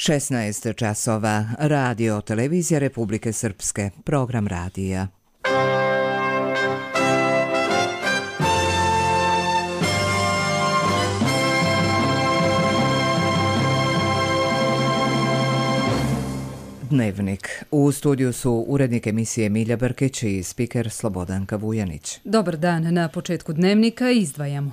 16 časova. Radio televizija Republike Srpske. Program radija. Dnevnik. U studiju su urednik emisije Milja Brkić i spiker Slobodanka Vujanić. Dobar dan. Na početku dnevnika izdvajamo.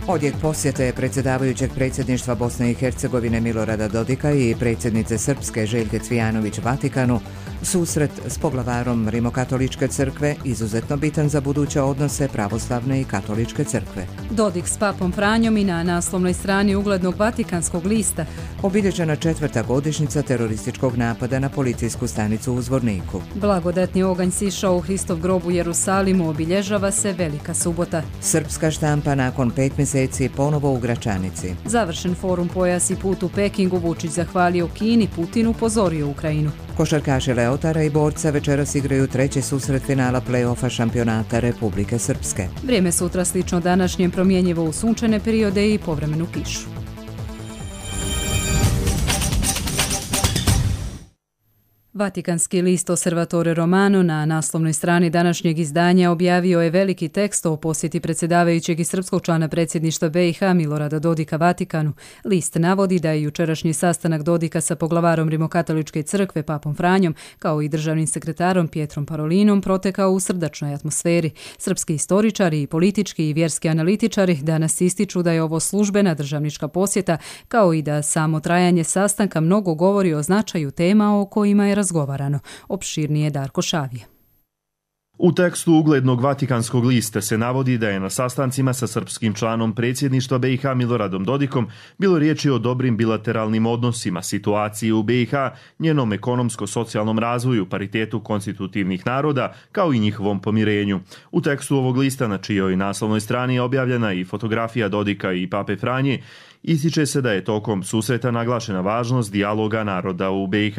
Odjek posjete predsjedavajućeg predsjedništva Bosne i Hercegovine Milorada Dodika i predsjednice Srpske Željke Cvijanović Vatikanu, susret s poglavarom Rimokatoličke crkve izuzetno bitan za buduće odnose pravoslavne i katoličke crkve. Dodik s papom Franjom i na naslovnoj strani uglednog Vatikanskog lista. Obilježena 4. godišnjica terorističkog napada na policijsku stanicu u Zvorniku. Blagodatni oganj sišao u Hristov grob u Jerusalimu, obilježava se Velika subota. Srpska štampa nakon 5 mjeseci ponovo u Gračanici. Završen forum Pojas i put u Pekingu, Vučić zahvalio Kini, Putin upozorio Ukrajinu. Košarkaši Leotara i Borca večeras igraju treći susret finala play-offa šampionata Republike Srpske. Vrijeme sutra slično današnjem, promjenjivo u sunčane periode i povremenu kišu. Vatikanski list Osservatore Romano na naslovnoj strani današnjeg izdanja objavio je veliki tekst o posjeti predsjedavajućeg i srpskog člana predsjedništva BiH Milorada Dodika Vatikanu. List navodi da je jučerašnji sastanak Dodika sa poglavarom Rimokatoličke crkve papom Franjom kao i državnim sekretarom Pietrom Parolinom protekao u srdačnoj atmosferi. Srpski istoričari i politički i vjerski analitičari danas ističu da je ovo službena državnička posjeta, kao i da samo trajanje sastanka mnogo govori o značaju tema o kojima je razgovarano. Opširnije Darko Šavije. U tekstu uglednog Vatikanskog lista se navodi da je na sastancima sa srpskim članom predsjedništva BiH Miloradom Dodikom bilo riječi o dobrim bilateralnim odnosima, situaciji u BiH, njenom ekonomsko-socijalnom razvoju, paritetu konstitutivnih naroda, kao i njihovom pomirenju. U tekstu ovog lista, na čijoj naslovnoj strani je objavljena i fotografija Dodika i pape Franje, ističe se da je tokom susreta naglašena važnost dijaloga naroda u BiH.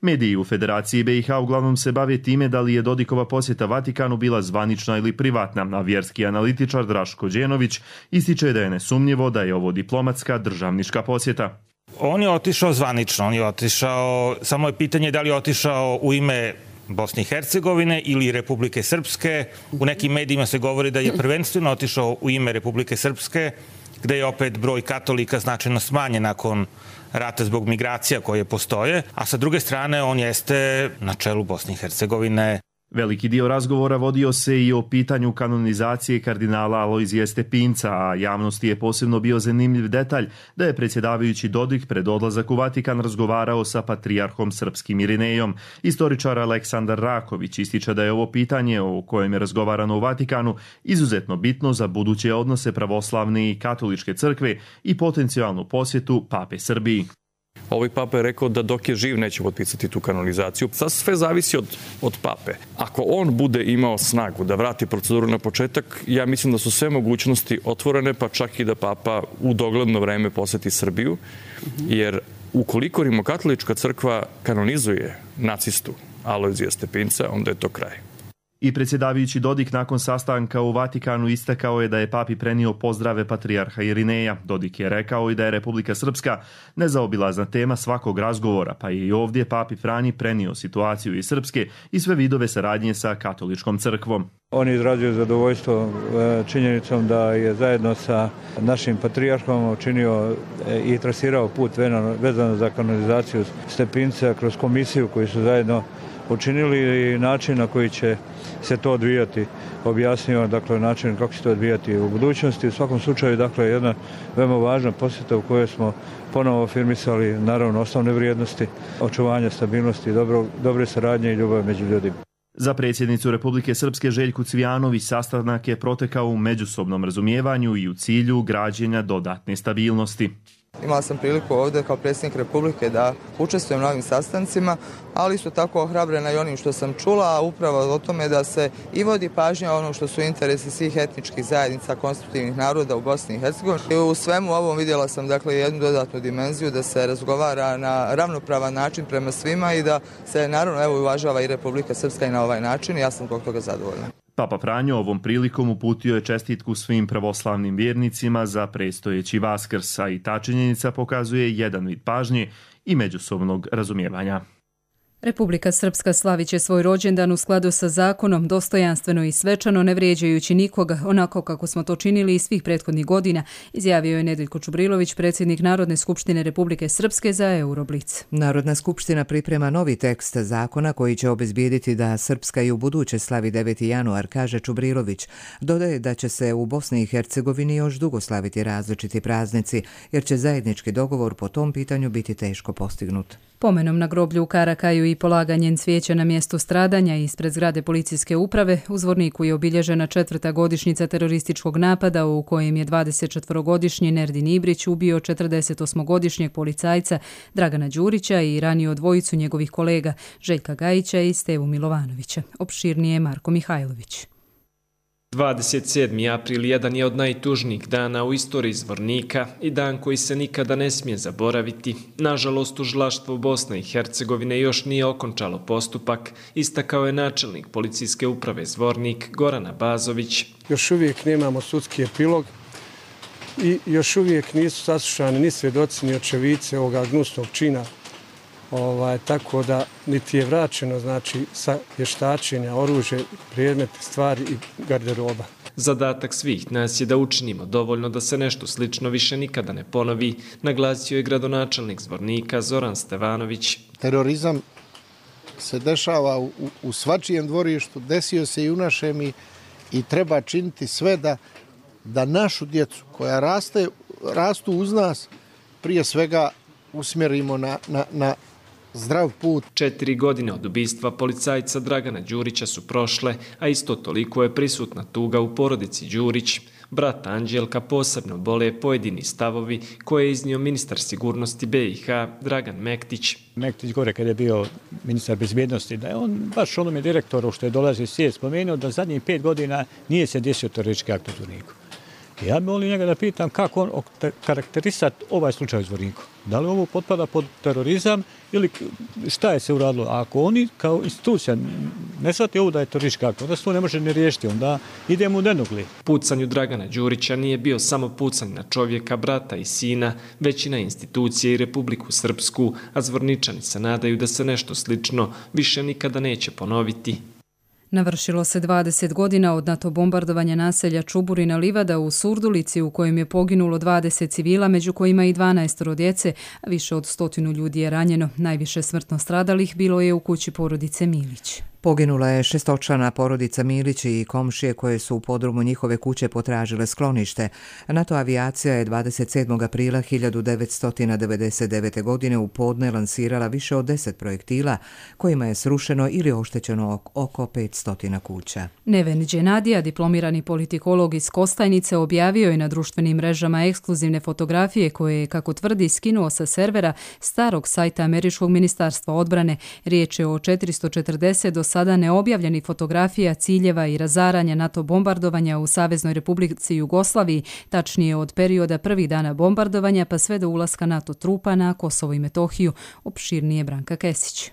Mediji u Federaciji BiH uglavnom se bave time da li je Dodikova posjeta Vatikanu bila zvanična ili privatna, a vjerski analitičar Draško Đenović ističe da je nesumnjivo da je ovo diplomatska državnička posjeta. On je otišao zvanično, on je otišao, samo je pitanje da li je otišao u ime Bosne i Hercegovine ili Republike Srpske. U nekim medijima se govori da je prvenstveno otišao u ime Republike Srpske, gde je opet broj katolika značajno smanjen nakon rata zbog migracija koje postoje, a sa druge strane on jeste na čelu Bosne i Hercegovine. Veliki dio razgovora vodio se i o pitanju kanonizacije kardinala Alojzija Stepinca, a javnosti je posebno bio zanimljiv detalj da je predsjedavajući Dodik pred odlazak u Vatikan razgovarao sa patrijarhom srpskim Irinejom. Istoričar Aleksandar Raković ističe da je ovo pitanje o kojem je razgovarano u Vatikanu izuzetno bitno za buduće odnose pravoslavne i katoličke crkve i potencijalnu posjetu pape Srbiji. Ovaj papa je rekao da dok je živ neće potpisati tu kanonizaciju. Sad sve zavisi od pape. Ako on bude imao snagu da vrati proceduru na početak, ja mislim da su sve mogućnosti otvorene, pa čak i da papa u dogledno vreme poseti Srbiju, jer ukoliko Rimokatolička crkva kanonizuje nacistu Alojzija Stepinca, onda je to kraj. I predsjedavajući Dodik nakon sastanka u Vatikanu istakao je da je papi prenio pozdrave patrijarha Irineja. Dodik je rekao i da je Republika Srpska nezaobilazna tema svakog razgovora, pa je i ovdje papi Franji prenio situaciju iz Srpske i sve vidove saradnje sa katoličkom crkvom. On je izrazio zadovoljstvo činjenicom da je zajedno sa našim patrijarhom učinio i trasirao put vezano za kanonizaciju Stepinca kroz komisiju koju su zajedno učinili i način na koji će se to odvijati. Objasnio način kako će to odvijati u budućnosti. U svakom slučaju jedna veoma važna posjeta u kojoj smo ponovo afirmisali naravno osnovne vrijednosti, očuvanja stabilnosti, dobre saradnje i ljubav među ljudima. Za predsjednicu Republike Srpske Željku Cvijanović sastanak je protekao u međusobnom razumijevanju i u cilju građenja dodatne stabilnosti. Imala sam priliku ovdje kao predsjednik Republike da učestvujem na ovim sastancima, ali isto tako ohrabrena i onim što sam čula, a upravo o tome da se i vodi pažnja ono što su interesi svih etničkih zajednica konstitutivnih naroda u Bosni i Hercegovini. I u svemu ovom vidjela sam jednu dodatnu dimenziju da se razgovara na ravnopravan način prema svima i da se naravno uvažava i Republika Srpska i na ovaj način i ja sam zbog toga zadovoljna. Papa Franjo ovom prilikom uputio je čestitku svim pravoslavnim vjernicima za predstojeći Vaskrs, a i ta činjenica pokazuje jedan vid pažnje i međusobnog razumijevanja. Republika Srpska slavit će svoj rođendan u skladu sa zakonom, dostojanstveno i svečano, ne vrijeđajući nikoga, onako kako smo to činili i svih prethodnih godina, izjavio je Nedeljko Čubrilović, predsjednik Narodne skupštine Republike Srpske za Euroblic. Narodna skupština priprema novi tekst zakona koji će obezbijediti da Srpska i u buduće slavi 9. januar, kaže Čubrilović. Dodaje da će se u Bosni i Hercegovini još dugo slaviti različiti praznici, jer će zajednički dogovor po tom pitanju biti teško postignut. Pomenom na groblju u Karakaju i polaganjem cvijeća na mjestu stradanja ispred zgrade policijske uprave u Zvorniku je obilježena 4. godišnjica terorističkog napada u kojem je 24-godišnji Nerdin Ibrić ubio 48-godišnjeg policajca Dragana Đurića i ranio dvojicu njegovih kolega Željka Gajića i Stevu Milovanovića. Opširnije Marko Mihajlović. 27. april jedan je od najtužnijih dana u istoriji Zvornika i dan koji se nikada ne smije zaboraviti. Nažalost, tužilaštvo Bosne i Hercegovine još nije okončalo postupak, istakao je načelnik policijske uprave Zvornik Goran Abazović. Još uvijek nemamo sudski epilog i još uvijek nisu saslušani ni svjedoci ni očevice ovoga gnusnog čina. Tako da niti je vraćeno sa vještačenja oružje, predmeti, stvari i garderoba. Zadatak svih nas je da učinimo dovoljno da se nešto slično više nikada ne ponovi, naglasio je gradonačelnik Zvornika Zoran Stevanović. Terorizam se dešava u svačijem dvorištu, desio se i u našem i treba činiti sve da našu djecu koja rastu uz nas prije svega usmjerimo na zdrav put. 4 godine od ubistva policajca Dragana Đurića su prošle, a isto toliko je prisutna tuga u porodici Đurić. Brata Anđelka posebno bole pojedini stavovi koje je iznio ministar sigurnosti BiH Dragan Mektić. Mektić gore kada je bio ministar bezbjednosti, da je on baš onome direktoru što je dolazio iz svijet spomenuo da zadnjih 5 godina nije se desio teroristički akt u Zvorniku. Ja bih volio njega da pitam kako on karakterisati ovaj slučaj u Zvorniku. Da li ovo potpada pod terorizam ili šta je se uradilo? A ako oni kao institucija ne shvati ovo da je teroristički akt, onda se to ne može ni riješiti, onda idemo u nenugli. Pucanju Dragana Đurića nije bio samo pucanj na čovjeka, brata i sina, već i na institucije i Republiku Srpsku, a Zvorničani se nadaju da se nešto slično više nikada neće ponoviti. Navršilo se 20 godina od NATO bombardovanja naselja Čuburina Livada u Surdulici u kojem je poginulo 20 civila, među kojima i 12 djece, a više od 100 ljudi je ranjeno. Najviše smrtno stradalih bilo je u kući porodice Milić. Poginula je 6-člana porodica Milić i komšije koje su u podrumu njihove kuće potražile sklonište. NATO avijacija je 27. aprila 1999. godine u podne lansirala više od 10 projektila kojima je srušeno ili oštećeno oko 500 kuća. Neven Đenadija, diplomirani politikolog iz Kostajnice, objavio je na društvenim mrežama ekskluzivne fotografije koje je, kako tvrdi, skinuo sa servera starog sajta Američkog ministarstva odbrane. Riječ je o 440 do sada neobjavljenih fotografija ciljeva i razaranja NATO bombardovanja u Saveznoj Republici Jugoslaviji, tačnije od perioda prvih dana bombardovanja pa sve do ulaska NATO trupa na Kosovo i Metohiju, opširnije Branka Kesić.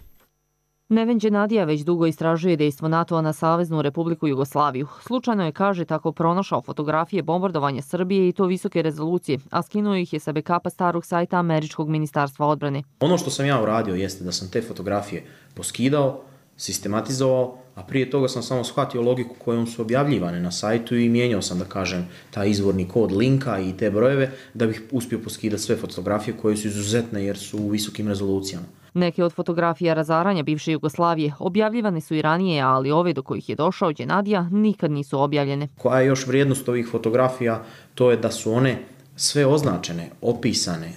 Neven Đenadija već dugo istražuje dejstvo NATO-a na Saveznu Republiku Jugoslaviju. Slučajno je, kaže, tako pronašao fotografije bombardovanja Srbije i to visoke rezolucije, a skinuo ih je sa backupa starog sajta Američkog ministarstva odbrane. Ono što sam ja uradio jeste da sam te fotografije poskidao, sistematizovao, a prije toga sam samo shvatio logiku kojom su objavljivane na sajtu i mijenjao sam, da kažem, taj izvorni kod linka i te brojeve da bih uspio poskidati sve fotografije koje su izuzetne jer su u visokim rezolucijama. Neke od fotografija razaranja bivše Jugoslavije objavljivane su i ranije, ali ove do kojih je došao Đenadija nikad nisu objavljene. Koja je još vrijednost ovih fotografija? To je da su one sve označene, opisane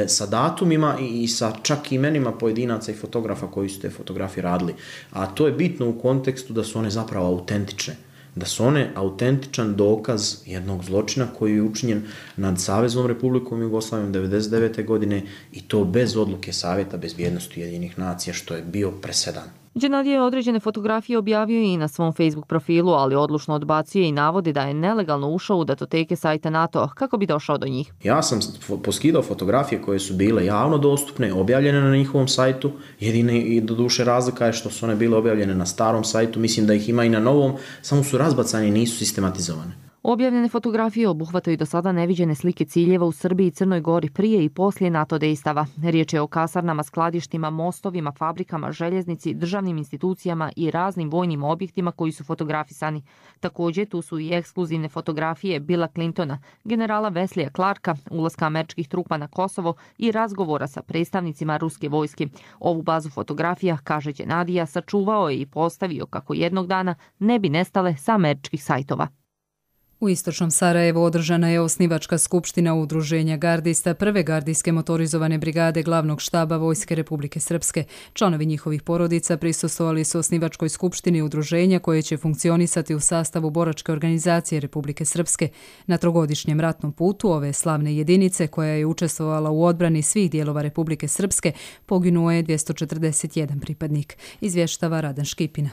sa datumima i sa čak imenima pojedinaca i fotografa koji su te fotografije radili. A to je bitno u kontekstu da su one zapravo autentične. Da su one autentičan dokaz jednog zločina koji je učinjen nad Saveznom Republikom Jugoslavijom 1999. godine i to bez odluke Savjeta bezbjednosti Ujedinjenih nacija, što je bio presedan. Dženadija je određene fotografije objavio i na svom Facebook profilu, ali odlučno odbacuje i navodi da je nelegalno ušao u datoteke sajta NATO kako bi došao do njih. Ja sam poskidao fotografije koje su bile javno dostupne, objavljene na njihovom sajtu. Jedine i do duše razlika je što su one bile objavljene na starom sajtu. Mislim da ih ima i na novom, samo su razbacane i nisu sistematizovane. Objavljene fotografije obuhvataju do sada neviđene slike ciljeva u Srbiji i Crnoj Gori prije i poslije NATO dejstava. Riječ je o kasarnama, skladištima, mostovima, fabrikama, željeznici, državnim institucijama i raznim vojnim objektima koji su fotografisani. Također tu su i ekskluzivne fotografije Billa Clintona, generala Wesleya Clarka, ulaska američkih trupa na Kosovo i razgovora sa predstavnicima ruske vojske. Ovu bazu fotografija, kaže Dženadija, sačuvao je i postavio kako jednog dana ne bi nestale sa američkih sajtova. U istočnom Sarajevu održana je osnivačka skupština Udruženja gardista prve gardijske motorizovane brigade glavnog štaba Vojske Republike Srpske. Članovi njihovih porodica prisustvovali su osnivačkoj skupštini udruženja koje će funkcionisati u sastavu boračke organizacije Republike Srpske. Na trogodišnjem ratnom putu ove slavne jedinice, koja je učestvovala u odbrani svih dijelova Republike Srpske, poginuo je 241 pripadnik, izvještava Radan Škipina.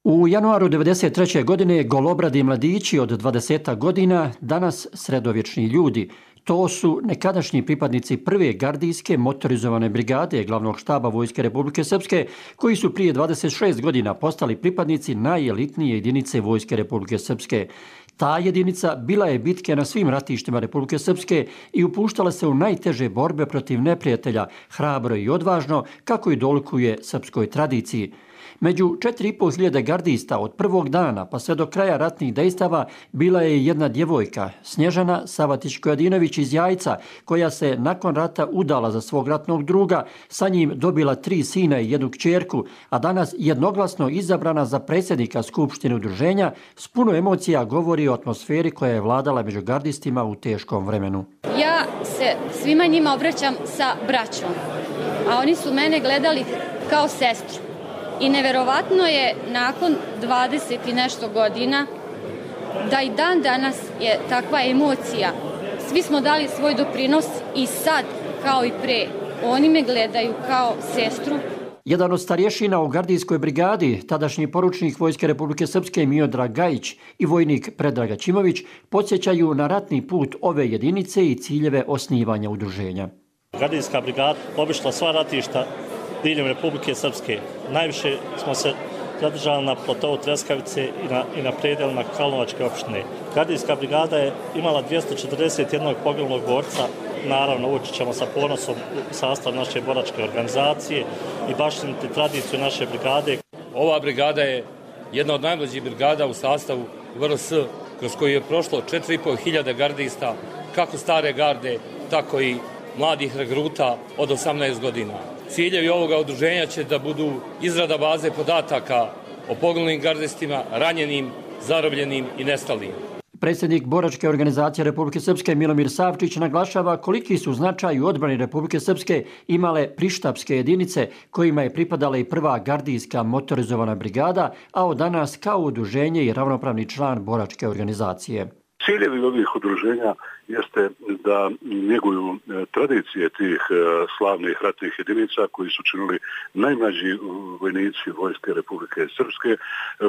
U januaru 1993. godine golobradi mladići od 20 godina, danas sredovječni ljudi. To su nekadašnji pripadnici prve gardijske motorizovane brigade glavnog štaba Vojske Republike Srpske, koji su prije 26 godina postali pripadnici najelitnije jedinice Vojske Republike Srpske. Ta jedinica bila je bitke na svim ratištima Republike Srpske i upuštala se u najteže borbe protiv neprijatelja, hrabro i odvažno, kako i dolikuje srpskoj tradiciji. Među 4.500 gardista od prvog dana pa sve do kraja ratnih dejstava bila je jedna djevojka, Snježana Savatić-Kojadinović iz Jajca, koja se nakon rata udala za svog ratnog druga, sa njim dobila 3 sina i 1 kćerku, a danas jednoglasno izabrana za predsjednika Skupštine udruženja, s puno emocija govori o atmosferi koja je vladala među gardistima u teškom vremenu. Ja se svima njima obraćam sa braćom, a oni su mene gledali kao sestru. I neverovatno je nakon 20 i nešto godina da i dan danas je takva emocija. Svi smo dali svoj doprinos i sad, kao i pre, oni me gledaju kao sestru. Jedan od starješina u gardijskoj brigadi, tadašnji poručnik Vojske Republike Srpske Miodrag Gajić i vojnik Predrag Aćimović, podsjećaju na ratni put ove jedinice i ciljeve osnivanja udruženja. Gardijska brigada obišla sva ratišta diljem Republike Srpske. Najviše smo se zadržali na platovu Treskavice i na predelima Kalnovačke opštine. Gardijska brigada je imala 241 poginulog borca. Naravno, ući ćemo sa ponosom u sastav naše boračke organizacije i baštiniti tradiciju naše brigade. Ova brigada je jedna od najmlađih brigada u sastavu VRS, kroz koju je prošlo 4.500 gardista, kako stare garde, tako i mladih regruta od 18 godina. Ciljevi ovoga udruženja će da budu izrada baze podataka o poginulim gardistima, ranjenim, zarobljenim i nestalim. Predsjednik boračke organizacije Republike Srpske Milomir Savčić naglašava koliki su značaj u odbrani Republike Srpske imale prištapske jedinice kojima je pripadala i prva gardijska motorizovana brigada, a od danas kao udruženje i ravnopravni član boračke organizacije. Ciljevi ovih udruženja jeste da njeguju tradicije tih slavnih ratnih jedinica koji su činili najmlađi vojnici Vojske Republike Srpske,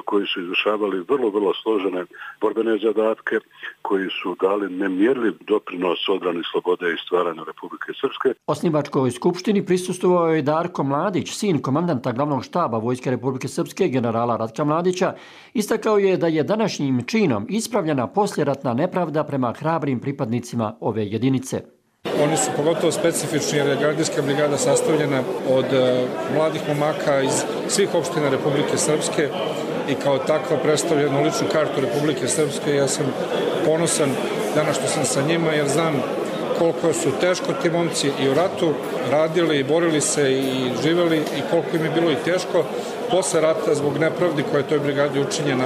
koji su izvršavali vrlo složene borbene zadatke, koji su dali nemjerljiv doprinos odbrani slobode i stvaranju Republike Srpske. Osnivačkoj skupštini prisustvovao je Darko Mladić, sin komandanta glavnog štaba Vojske Republike Srpske, generala Ratka Mladića. Istakao je da je današnjim činom ispravljena poslijeratna nepravda prema hrabrim pripadnicima ove jedinice. Oni su pogotovo specifični jer je gardijska brigada sastavljena od mladih momaka iz svih opština Republike Srpske i kao takva predstavljenu ličnu kartu Republike Srpske. Ja sam ponosan danas što sam sa njima jer znam koliko su teško ti momci i u ratu radili i borili se i živeli i koliko im je bilo i teško posle rata zbog nepravdi koja je toj brigadi učinjena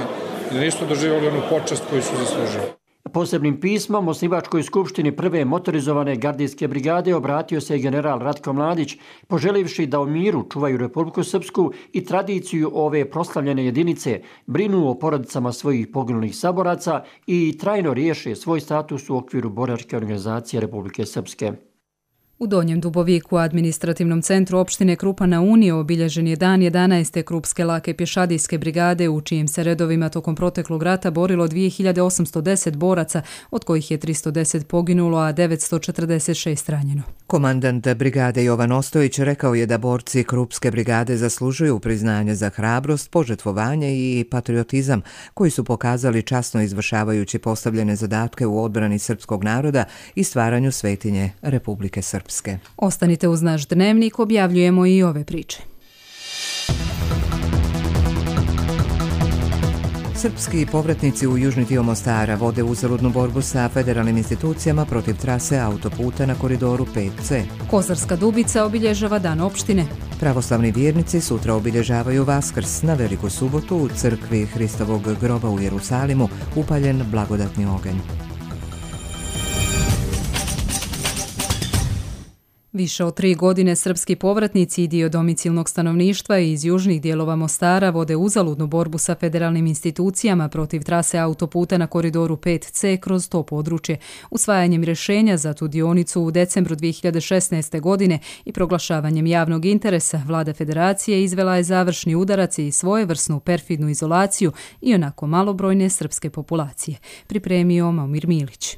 i da nisu doživjeli onu počast koju su zaslužili. Posebnim pismom osnivačkoj skupštini prve motorizovane gardijske brigade obratio se general Ratko Mladić, poželivši da u miru čuvaju Republiku Srpsku i tradiciju ove proslavljene jedinice, brinu o porodicama svojih poginulih saboraca i trajno riješe svoj status u okviru boračke organizacije Republike Srpske. U Donjem Duboviku, administrativnom centru opštine Krupa na Uniji, obilježen je dan 11. Krupske lake pješadijske brigade, u čijim se redovima tokom proteklog rata borilo 2810 boraca, od kojih je 310 poginulo, a 946 ranjeno. Komandant brigade Jovan Ostojić rekao je da borci Krupske brigade zaslužuju priznanje za hrabrost, požrtvovanje i patriotizam, koji su pokazali časno izvršavajući postavljene zadatke u odbrani srpskog naroda i stvaranju svetinje Republike Srpske. Ostanite uz naš dnevnik, objavljujemo i ove priče. Srpski povratnici u južni dio Mostara vode uzaludnu borbu sa federalnim institucijama protiv trase autoputa na koridoru 5C. Kozarska Dubica obilježava dan opštine. Pravoslavni vjernici sutra obilježavaju Vaskrs. Na Veliku subotu u crkvi Hristovog groba u Jerusalimu upaljen blagodatni oganj. Više od 3 godine srpski povratnici i dio domicilnog stanovništva iz južnih dijelova Mostara vode uzaludnu borbu sa federalnim institucijama protiv trase autoputa na koridoru 5C kroz to područje. Usvajanjem rješenja za tu dionicu u decembru 2016. godine i proglašavanjem javnog interesa, vlada federacije izvela je završni udarac i svojevrsnu perfidnu izolaciju i onako malobrojne srpske populacije. Pripremio Momir Milić.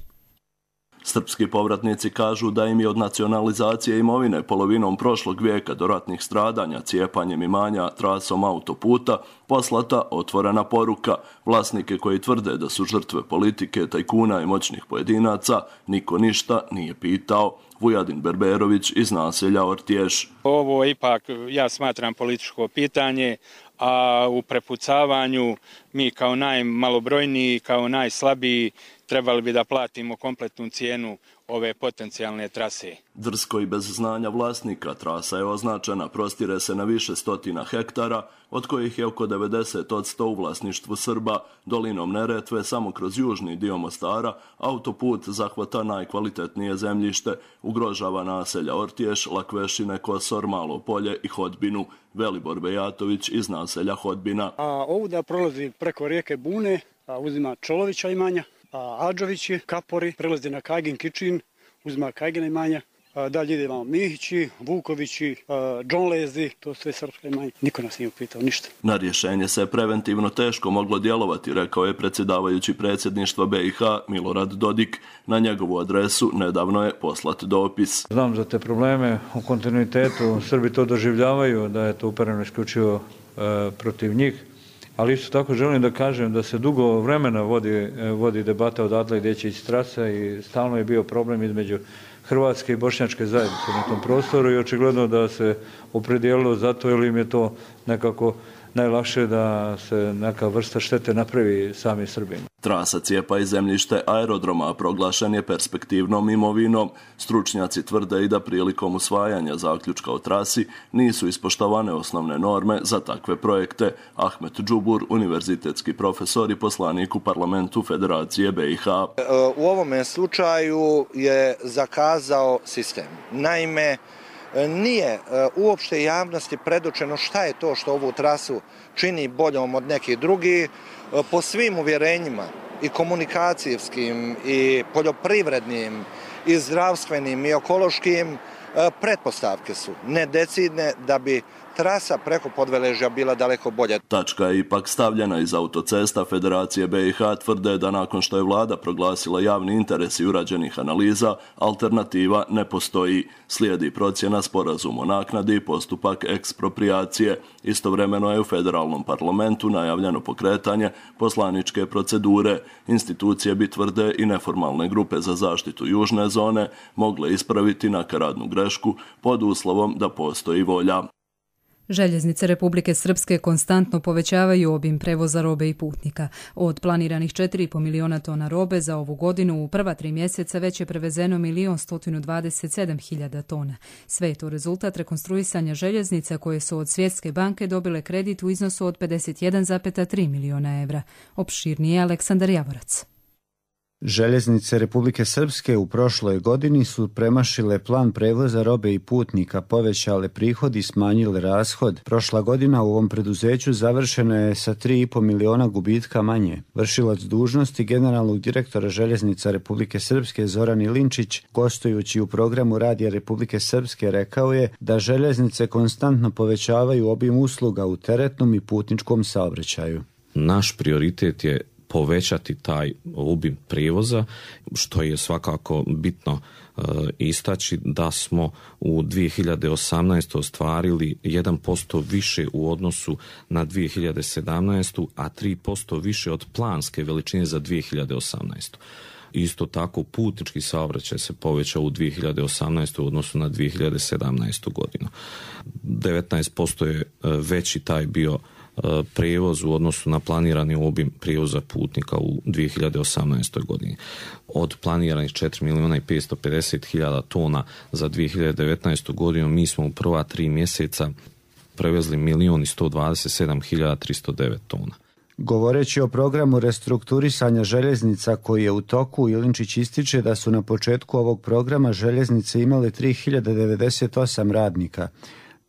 Srpski povratnici kažu da im je od nacionalizacije imovine polovinom prošlog vijeka do ratnih stradanja cijepanjem imanja trasom autoputa poslata otvorena poruka. Vlasnike koji tvrde da su žrtve politike, tajkuna i moćnih pojedinaca niko ništa nije pitao. Vujadin Berberović iz naselja Ortješ. Ovo ipak ja smatram političko pitanje, a u prepucavanju mi kao najmalobrojniji, kao najslabiji trebali bi da platimo kompletnu cijenu ove potencijalne trase. Drsko i bez znanja vlasnika trasa je označena, prostire se na više stotina hektara, od kojih je oko 90% u vlasništvu Srba. Dolinom Neretve, samo kroz južni dio Mostara, autoput zahvata najkvalitetnije zemljište, ugrožava naselja Ortješ, Lakvešine, Kosor, Malo Polje i Hodbinu. Velibor Bejatović iz naselja Hodbina. Ovdje prolazi preko rijeke Bune, uzima Čolovića imanja, Adžovići, Kapori, prelazi na Kajgin, Kičin, uzima Kajgina imanja, dalje idemo Mihići, Vukovići, Džonlezi, to sve srpska imanja. Niko nas nije upitao ništa. Na rješenje se preventivno teško moglo djelovati, rekao je predsjedavajući predsjedništva BiH Milorad Dodik. Na njegovu adresu nedavno je poslat dopis. Znam za te probleme u kontinuitetu, Srbi to doživljavaju, da je to upereno isključivo protiv njih. Ali isto tako želim da kažem da se dugo vremena vodi debata odatle gdje će ići trasa i stalno je bio problem između hrvatske i bošnjačke zajednice na tom prostoru i očigledno da se opredijelilo za to jer im je to nekako najlakše da se neka vrsta štete napravi sami Srbima. Trasa cijepa i zemljište aerodroma proglašen je perspektivnom imovinom. Stručnjaci tvrde i da prilikom usvajanja zaključka o trasi nisu ispoštovane osnovne norme za takve projekte. Ahmet Džubur, univerzitetski profesor i poslanik u parlamentu Federacije BiH. U ovome slučaju je zakazao sistem. Naime, nije uopšte javnosti predočeno šta je to što ovu trasu čini boljom od nekih drugih. Po svim uvjerenjima i komunikacijskim i poljoprivrednim i zdravstvenim i ekološkim pretpostavke su nedecidne da bi trasa preko Podveležja bila daleko bolja. Tačka je ipak stavljena iz autocesta Federacije BiH tvrde da nakon što je vlada proglasila javni interes i urađenih analiza, alternativa ne postoji. Slijedi procjena sporazum o naknadi i postupak ekspropriacije. Istovremeno je u federalnom parlamentu najavljeno pokretanje poslaničke procedure. Institucije bi tvrde i neformalne grupe za zaštitu južne zone mogle ispraviti nakaradnu grešku pod uslovom da postoji volja. Željeznice Republike Srpske konstantno povećavaju obim prevoza robe i putnika. Od planiranih 4,5 miliona tona robe za ovu godinu u prva 3 mjeseca već je prevezeno 1.127.000 tona. Sve je to rezultat rekonstruisanja željeznica koje su od Svjetske banke dobile kredit u iznosu od 51,3 miliona evra. Opširnije Aleksandar Javorac. Željeznice Republike Srpske u prošloj godini su premašile plan prevoza robe i putnika, povećale prihod i smanjile rashod. Prošla godina u ovom preduzeću završena je sa 3,5 miliona gubitka manje. Vršilac dužnosti generalnog direktora Željeznica Republike Srpske Zoran Ilinčić, gostujući u programu Radija Republike Srpske, rekao je da željeznice konstantno povećavaju obim usluga u teretnom i putničkom saobraćaju. Naš prioritet je povećati taj obim prijevoza, što je svakako bitno istaći da smo u 2018. ostvarili 1% više u odnosu na 2017. a 3% više od planske veličine za 2018. Isto tako putnički saobraćaj se povećao u 2018. u odnosu na 2017. godinu. 19% je veći taj bio prijevoz u odnosu na planirani obim prijevoza putnika u 2018. godini. Od planiranih 4.550.000 tona za 2019. godinu mi smo u prva 3 mjeseca prevezli 1.127.309 tona. Govoreći o programu restrukturisanja željeznica koji je u toku, Ilinčić ističe da su na početku ovog programa željeznice imale 3.098 radnika.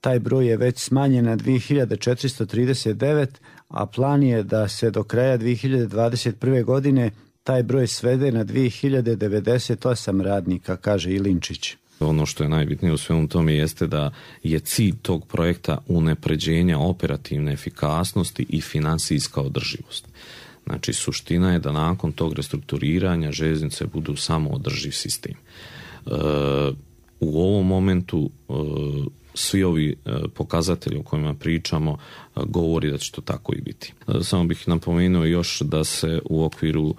Taj broj je već smanjen na 2.439, a plan je da se do kraja 2021. godine taj broj svede na 2.098 radnika, kaže Ilinčić. Ono što je najbitnije u svemu tome jeste da je cilj tog projekta unapređenja operativne efikasnosti i financijska održivost. Znači, suština je da nakon tog restrukturiranja željeznice budu samo održiv sistem. U ovom momentu svi ovi pokazatelji o kojima pričamo govori da će to tako i biti. Samo bih napomenuo još da se u okviru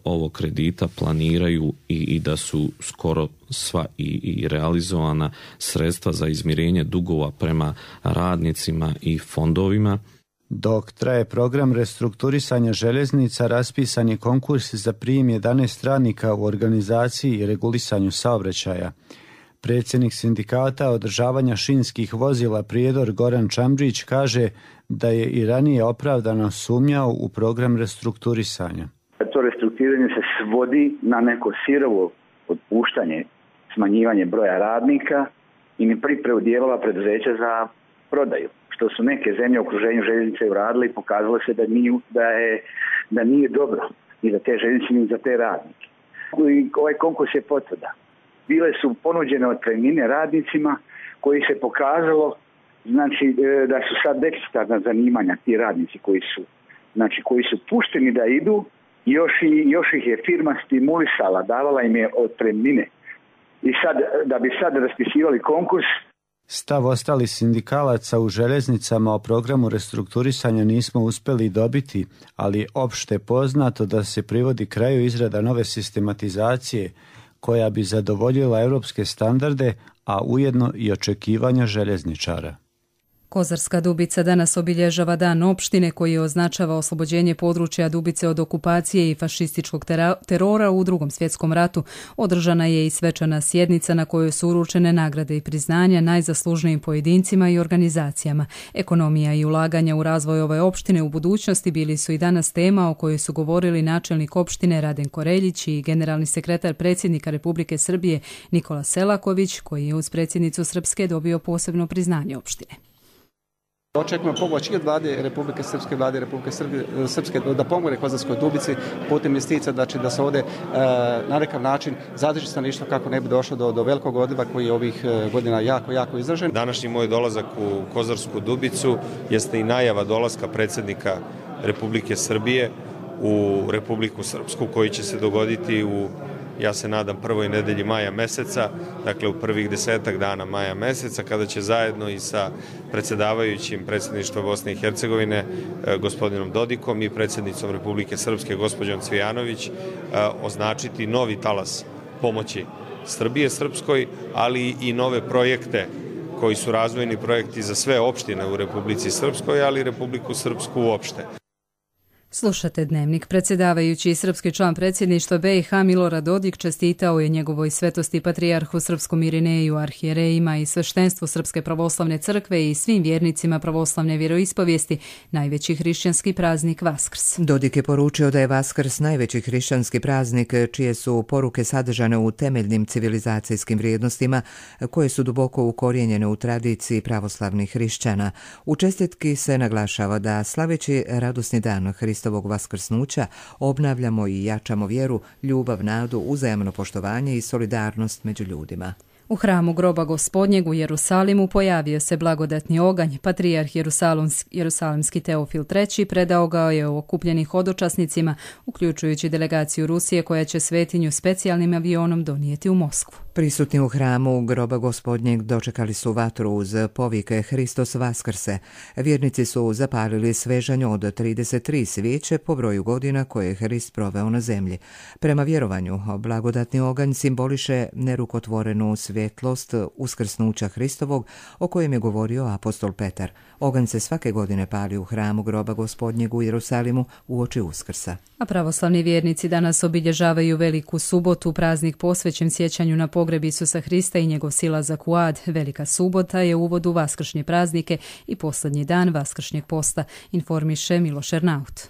ovog kredita planiraju i da su skoro sva i realizovana sredstva za izmirenje dugova prema radnicima i fondovima. Dok traje program restrukturisanja željeznica, raspisan je konkurs za prijem 11 radnika u organizaciji i regulisanju saobraćaja. Predsjednik sindikata održavanja šinskih vozila Prijedor Goran Čamdžić kaže da je i ranije opravdano sumnjao u program restrukturisanja. To restrukturiranje se svodi na neko sirovo otpuštanje, smanjivanje broja radnika i ne pripremu dijelova preduzeća za prodaju. Što su neke zemlje u okruženju željeznice uradile i pokazalo se da nije dobro i za te željeznice i za te radnike. Ovaj konkurs je potvrda. Bile su ponuđene otpremnine radnicima koji se pokazalo znači, da su sad deficitarna zanimanja ti radnici koji su pušteni da idu, još ih je firma stimulisala, davala im je otpremnine. I sad, da bi sad raspisivali konkurs. Stav ostalih sindikalaca u željeznicama o programu restrukturisanja nismo uspjeli dobiti, ali je opšte poznato da se privodi kraju izrada nove sistematizacije koja bi zadovoljila europske standarde, a ujedno i očekivanja željezničara. Kozarska Dubica danas obilježava Dan opštine koji označava oslobođenje područja Dubice od okupacije i fašističkog terora u Drugom svjetskom ratu. Održana je i svečana sjednica na kojoj su uručene nagrade i priznanja najzaslužnijim pojedincima i organizacijama. Ekonomija i ulaganja u razvoj ove opštine u budućnosti bili su i danas tema o kojoj su govorili načelnik opštine Radenko Reljić i generalni sekretar predsjednika Republike Srbije Nikola Selaković, koji je uz predsjednicu Srpske dobio posebno priznanje opštine. Očekujemo pomoć i od vlade Republike Srpske, vlade Republike Srpske da pomogne Kozarskoj Dubici putem investicija, znači da se ovdje na nekakav način zadrži stanovništvo kako ne bi došlo do velikog odliva koji je ovih godina jako izražen. Današnji moj dolazak u Kozarsku Dubicu jeste i najava dolaska predsjednika Republike Srbije u Republiku Srpsku koji će se dogoditi u, ja se nadam, prvoj nedelji maja meseca, dakle u prvih 10 dana maja meseca, kada će zajedno i sa predsjedavajućim predsjedništva Bosne i Hercegovine, gospodinom Dodikom i predsjednicom Republike Srpske, gospođom Cvijanović, označiti novi talas pomoći Srbije Srpskoj, ali i nove projekte koji su razvojni projekti za sve opštine u Republici Srpskoj, ali i Republiku Srpsku uopšte. Slušate Dnevnik. Predsjedavajući i srpski član predsjedništva BiH Milorad Dodik čestitao je njegovoj svetosti patrijarhu srpskom Irineju, arhijerejima i sveštenstvu Srpske pravoslavne crkve i svim vjernicima pravoslavne vjeroispovijesti najveći hrišćanski praznik Vaskrs. Dodik je poručio da je Vaskrs najveći hrišćanski praznik čije su poruke sadržane u temeljnim civilizacijskim vrijednostima koje su duboko ukorijenjene u tradiciji pravoslavnih hrišćana. U čestitki se naglašava da slaveći radosni dan Hristovog vaskrsnuća obnavljamo i jačamo vjeru, ljubav, nadu, uzajamno poštovanje i solidarnost među ljudima. U hramu groba Gospodnjeg u Jerusalimu pojavio se blagodatni oganj. Patrijarh Jerusalimski Teofil III predao ga je okupljenih hodočasnicima, uključujući delegaciju Rusije koja će svetinju specijalnim avionom donijeti u Moskvu. Prisutni u hramu groba Gospodnjeg dočekali su vatru uz povike Hristos Vaskrse. Vjernici su zapalili svežanj od 33 svijeće po broju godina koje je Hrist proveo na zemlji. Prema vjerovanju, blagodatni oganj simboliše nerukotvorenu svjetlost uskrsnuća Hristovog o kojem je govorio apostol Petar. Oganj se svake godine pali u hramu groba Gospodnjeg u Jerusalimu uoči Uskrsa. A pravoslavni vjernici danas obilježavaju Veliku subotu, praznik posvećen sjećanju na pogreb Isusa Hrista i njegov silazak u ad. Velika subota je uvod u vaskršnje praznike i posljednji dan vaskršnjeg posta, informiše Miloš Ernaut.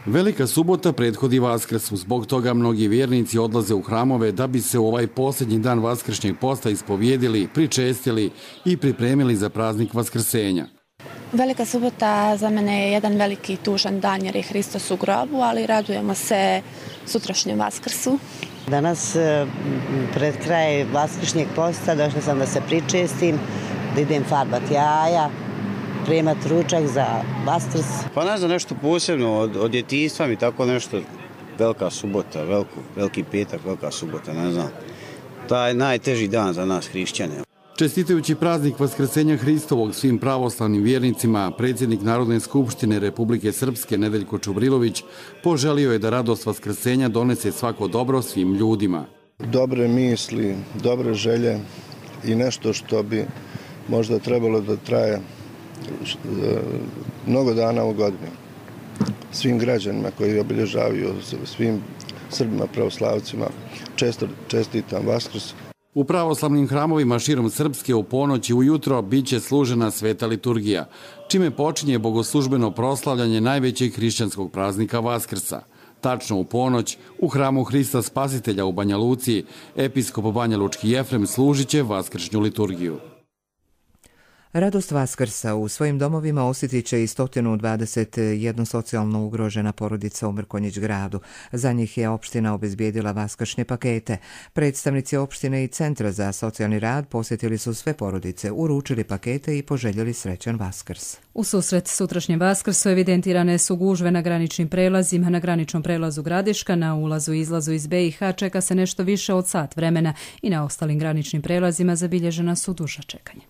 Velika subota prethodi Vaskrsu, zbog toga mnogi vjernici odlaze u hramove da bi se u ovaj posljednji dan vaskršnjeg posta ispovijedili, pričestili i pripremili za praznik Vaskrsenja. Velika subota za mene je jedan veliki tužan dan jer je Hristos u grobu, ali radujemo se sutrašnjem Vaskrsu. Danas pred kraj vaskršnjeg posta došla sam da se pričestim, da idem farbat jaja, prijemat ručak za Vaskrs. Pa ne znam, nešto posebno od djetinjstva mi tako nešto. Velika subota, veliki petak, velika subota, ne znam. To je najteži dan za nas hrišćane. Čestitajući praznik Vaskrsenja Hristovog svim pravoslavnim vjernicima, predsjednik Narodne skupštine Republike Srpske Nedeljko Čubrilović poželio je da radost Vaskrsenja donese svako dobro svim ljudima. Dobre misli, dobre želje i nešto što bi možda trebalo da traje mnogo dana u godini. Svim građanima koji obilježavaju, svim Srbima, pravoslavcima, čestitam Vaskrs. U pravoslavnim hramovima širom Srpske u ponoć i ujutro bit će služena sveta liturgija, čime počinje bogoslužbeno proslavljanje najvećeg hrišćanskog praznika Vaskrsa. Tačno u ponoć, u hramu Hrista Spasitelja u Banja Luci, episkop Banja Lučki Jefrem služit će vaskršnju liturgiju. Radost Vaskrsa u svojim domovima osjetit će i 121 socijalno ugrožena porodica u Mrkonjić gradu. Za njih je opština obezbijedila vaskršnje pakete. Predstavnici opštine i Centra za socijalni rad posjetili su sve porodice, uručili pakete i poželjeli srećan Vaskrs. U susret sutrašnjem Vaskrsu evidentirane su gužve na graničnim prelazima. Na graničnom prelazu Gradiška, na ulazu i izlazu iz BiH čeka se nešto više od sat vremena i na ostalim graničnim prelazima zabilježena su duža čekanja.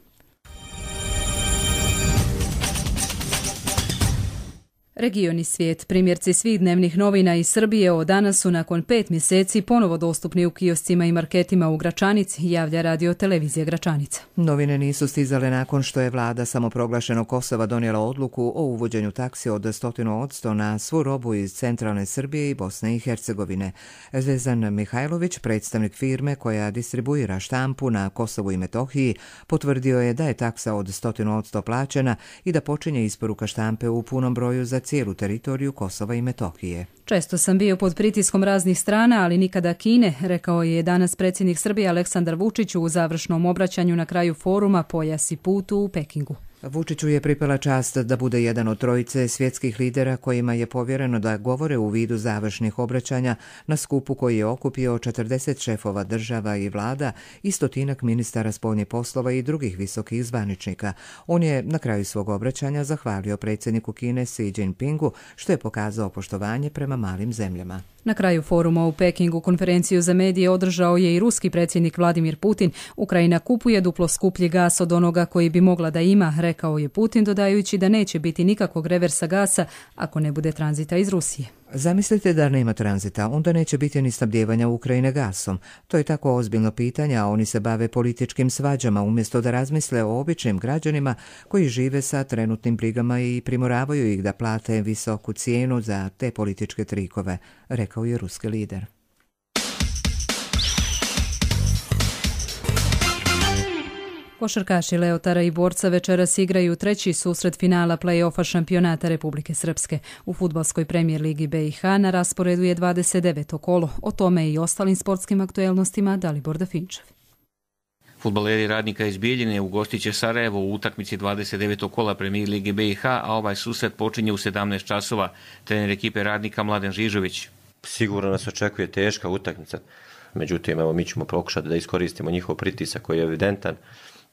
Region i svijet, primjerci svih dnevnih novina iz Srbije od danas su nakon 5 mjeseci ponovo dostupni u kioscima i marketima u Gračanici, javlja Radio Televizija Gračanica. Novine nisu stizale nakon što je vlada samoproglašenog Kosova donijela odluku o uvođenju taksi od 100% na svu robu iz centralne Srbije i Bosne i Hercegovine. Zvezdan Mihajlović, predstavnik firme koja distribuira štampu na Kosovu i Metohiji, potvrdio je da je taksa od 100% plaćena i da počinje isporuka štampe u punom broju za cijelu teritoriju Kosova i Metohije. Često sam bio pod pritiskom raznih strana, ali nikada Kine, rekao je danas predsjednik Srbije Aleksandar Vučić u završnom obraćanju na kraju foruma Pojas i put u Pekingu. Vučiću je pripala čast da bude jedan od trojice svjetskih lidera kojima je povjereno da govore u vidu završnih obraćanja na skupu koji je okupio 40 šefova država i vlada i 100 ministara spoljnih poslova i drugih visokih zvaničnika. On je na kraju svog obraćanja zahvalio predsjedniku Kine Xi Jinpingu što je pokazao poštovanje prema malim zemljama. Na kraju foruma u Pekingu konferenciju za medije održao je i ruski predsjednik Vladimir Putin. Ukrajina kupuje duplo skuplji gas od onoga koji bi mogla da ima, rekao rekao je Putin, dodajući da neće biti nikakvog reversa gasa ako ne bude tranzita iz Rusije. Zamislite da nema tranzita, onda neće biti ni snabdijevanja Ukrajine gasom. To je tako ozbiljno pitanje, a oni se bave političkim svađama umjesto da razmisle o običnim građanima koji žive sa trenutnim brigama i primoravaju ih da plate visoku cijenu za te političke trikove, rekao je ruski lider. Košarkaši Leotara i Borca večeras igraju treći susret finala play-offa šampionata Republike Srpske. U fudbalskoj premijer ligi BiH na rasporedu je 29. kolo. O tome i ostalim sportskim aktuelnostima Dalibor Dafinčev. Fudbaleri Radnika iz Bijeljine ugostit će Sarajevo u utakmici 29. kola premijer ligi BiH, a ovaj susret počinje u 17 časova. Trener ekipe Radnika Mladen Žižović. Sigurno nas očekuje teška utakmica. Međutim, evo, mi ćemo pokušati da iskoristimo njihov pritisak koji je evidentan.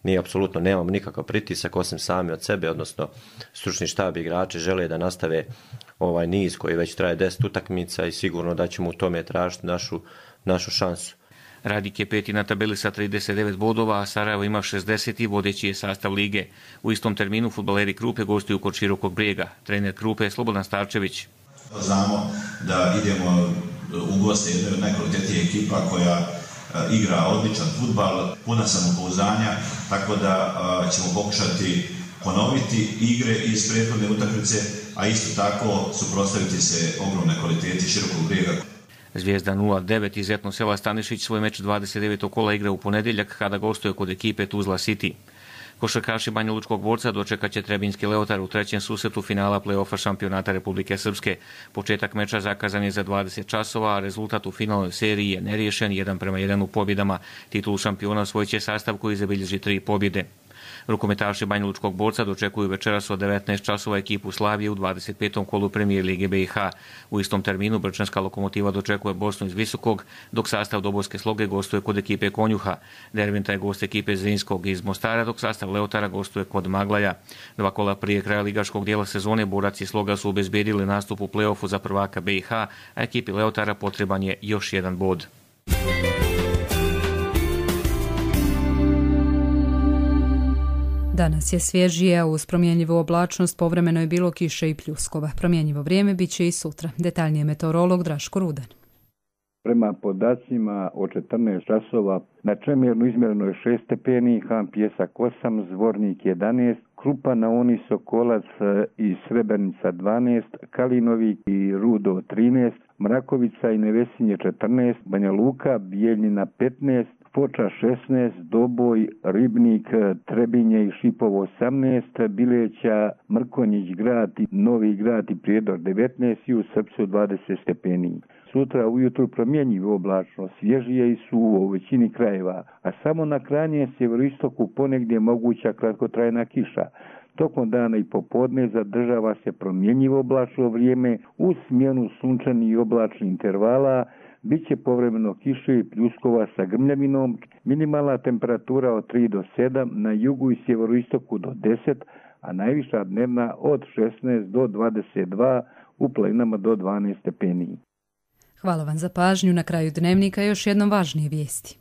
Mi apsolutno nemamo nikakav pritisak osim sami od sebe, odnosno stručni štab igrači žele da nastave ovaj niz koji već traje 10 utakmica i sigurno da ćemo u tome tražiti našu šansu. Radnik je peti na tabeli sa 39 bodova, a Sarajevo ima 60 i vodeći je sastav lige. U istom terminu fudbaleri Krupe gostuju kod Širokog Brijega. Trener Krupe je Slobodan Starčević. Znamo da idemo u goste jednoj od najkvalitetnijih ekipa koja igra odličan fudbal, puna samopouzdanja, tako da ćemo pokušati ponoviti igre iz prethodne utakmice, a isto tako suprotstaviti se ogromne kvaliteti Širokog Brijega. Zvijezda 09 iz Etno sela Stanišić svoj meč 29. kola igra u ponedjeljak kada gostuje kod ekipe Tuzla City. Košarkaši Banja Lučkog Borca dočekat će Trebinjski Leotar u trećem susretu finala play-offa šampionata Republike Srpske. Početak meča zakazan je za 20 časova, a rezultat u finalnoj seriji je neriješen 1:1 u pobjedama. Titulu šampiona osvojit će sastav koji zabilježi 3 pobjede. Rukometaši Banja Lučkog Borca dočekuju večeras od 19 časova ekipu Slavije u 25. kolu premijer lige BiH. U istom terminu Brčanska Lokomotiva dočekuje Bosnu iz Visokog, dok sastav Dobojske Sloge gostuje kod ekipe Konjuha. Derventa je gost ekipe Zrinskog iz Mostara, dok sastav Leotara gostuje kod Maglaja. 2 kola prije kraja ligaškog dijela sezone Borac i Sloga su obezbedili nastup u play-offu za prvaka BiH, a ekipi Leotara potreban je još jedan bod. Danas je svježije, a uz promjenjivu oblačnost povremeno je bilo kiše i pljuskova. Promjenjivo vrijeme bit će i sutra. Detaljnije meteorolog Draško Rudan. Prema podacima od 14 časova na Čemernu izmjereno je 6 stepeni, Han Pjesak 8, Zvornik 11, Krupa, Naoni, Sokolac i Srebrenica 12, Kalinovik i Rudo 13, Mrakovica i Nevesinje 14, Banja Luka, Bijeljina 15, Foča 16, Doboj, Ribnik, Trebinje i Šipovo 18, Bileća, Mrkonjić grad i Novi grad i Prijedor 19 i u Srpcu 20 stepeni. Sutra ujutru promjenjivo oblačno, svježije i suvo u većini krajeva, a samo na krajnjem sjeveroistoku ponegdje moguća kratkotrajna kiša. Tokom dana i popodne zadržava se promjenjivo oblačno vrijeme uz smjenu sunčanih i oblačnih intervala. Biće povremeno kiše i pljuskova sa grmljavinom, minimalna temperatura od 3 do 7, na jugu i sjeveroistoku do 10, a najviša dnevna od 16 do 22, u planinama do 12 stepeni. Hvala vam za pažnju. Na kraju dnevnika još jednom važnije vijesti.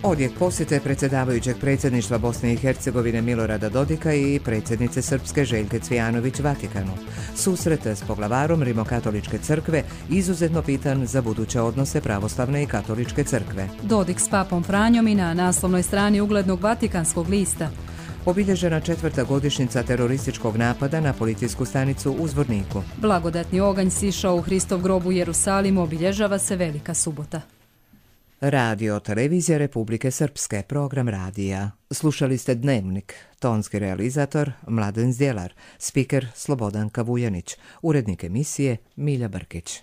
Odjek posjete predsjedavajućeg predsjedništva Bosne i Hercegovine Milorada Dodika i predsjednice Srpske Željke Cvijanović Vatikanu. Susret s poglavarom Rimokatoličke crkve izuzetno bitan za buduće odnose pravoslavne i katoličke crkve. Dodik s papom Franjom i na naslovnoj strani uglednog Vatikanskog lista. Obilježena 4. godišnjica terorističkog napada na policijsku stanicu u Zvorniku. Blagodatni oganj sišao u Hristov grob u Jerusalimu, obilježava se Velika subota. Radio Televizija Republike Srpske, program radija. Slušali ste Dnevnik, tonski realizator Mladen Zdjelar, spiker Slobodan Kavujanić, urednik emisije Milja Brkić.